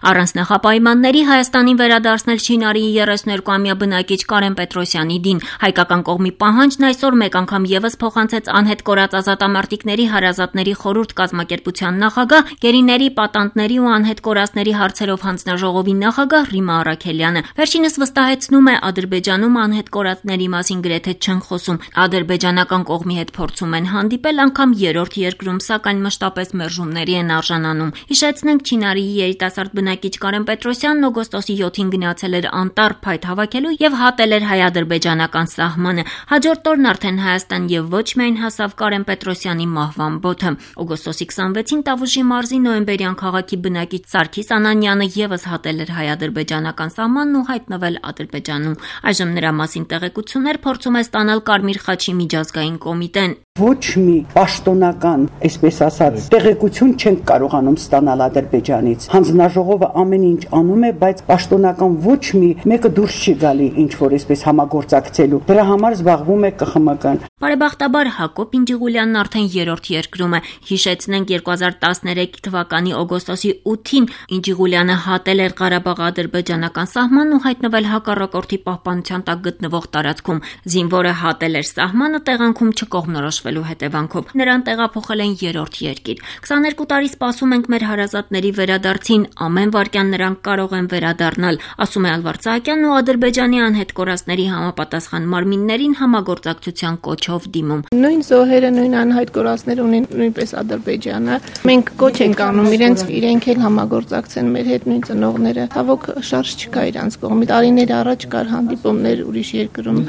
Առանց նախապայմանների Հայաստանին վերադարձնել Չինարիի 32-ամյա բնակիչ Կարեն Պետրոսյանի դին։ Հայկական կողմի պահանջն այսօր մեկ անգամ եւս փոխանցեց անհետ կորած ազատամարտիկների հարազատների խորհուրդ կազմակերպության նախագահ, գերիների, պատանդների ու անհետ կորածների հարցերով հանձնաժողովի նախագահ Ռիմա Առաքելյանը։ Վերջինս վստահեցնում է, Ադրբեջանում անհետ կորածների մասին գրեթե չեն խոսում։ Ադրբեջանական կողմի հետ փորձում են հանդիպել անգամ երրորդ երկրում, սակայն մշտապես մերժումների են արժանանում։ Հիշեցնենք, Չինարիի երիտասարդ բնակիչ Կարեն Պետրոսյանն օգոստոսի 7-ին գնացել էր անտառ փայտ հավաքելու եւ հատել էր հայ-ադրբեջանական սահմանը։ Հաջորդ օրն արդեն Հայաստան եւ ոչ միայն հասավ Կարեն Պետրոսյանի մահվան բոթը։ Օգոստոսի 26-ին Տավուշի մարզի Նոյեմբերյան քաղաքի բնակիչ Սարգիս Անանյանը եւս հատել էր հայ-ադրբեջանական սահմանն ու հայտնվել Ադրբեջանում։ Այժմ նրա մասին տեղեկություններ փորձում է ստանալ Կարմիր խաչի միջազգային կոմիտեն։ Ոչ մի պաշտոնական, այսպես ասած, տեղեկություն չենք կարողանում ստանալ Ադրբեջանից։ Հանձնաժողովը ամեն ինչ անում է, բայց պաշտոնական ոչ մի մեկը դուրս չի գալի ինչ որ այսպես համագործակցելու։ Դրա համար զբաղվում է ԿԽՄԿ-ն։ Բարեբախտաբար Հակոբ Ինջիղուլյանն արդեն երրորդ երկրում է։ Հիշեցնենք 2013 թվականի օգոստոսի 8-ին Ինջիղուլյանը հատել էր Ղարաբաղ-ադրբեջանական սահմանն ու հայտնվել հակառակորդի պահպանության տակ գտնվող տարածքում։ Զինվորը հատել էր սահմանը տեղանքում չկողմնորոշվելու հետևանքով։ Նրան տեղափոխել են երրորդ երկիր։ 22 տարի սպասում ենք մեր հարազատների վերադարձին, ամեն վայրկյան նրանք կարող են վերադառնալ, ասում է Ալվարդ Սահակյանն ու Ադրբեջանի անհետ կորածների համապատասխան մարմիններին համագործակցության կոչով դիմում։ Նույն զոհերը, նույն անհայտ կորածները ունեն նույնպես Ադրբեջանը։ Մենք կոչ ենք անում իրենք էլ համագործակցեն մեր հետ, նույն ծնողները։ Ցավոք շարժ չկա իրանց կողմից։ Տարիներ առաջ կար հանդիպումներ ուրիշ երկրում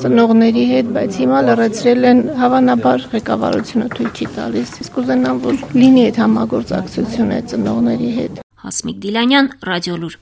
ծնողների հետ, բայց հիմա լրացրել են, հավանաբար ղեկավարությունը թույլ չի տալիս։ Իսկ կուզենամ, որ լինի այդ համագործակցությունը ծնողների հետ։ Հասմիկ Դիլանյան, Ռադիոլուր։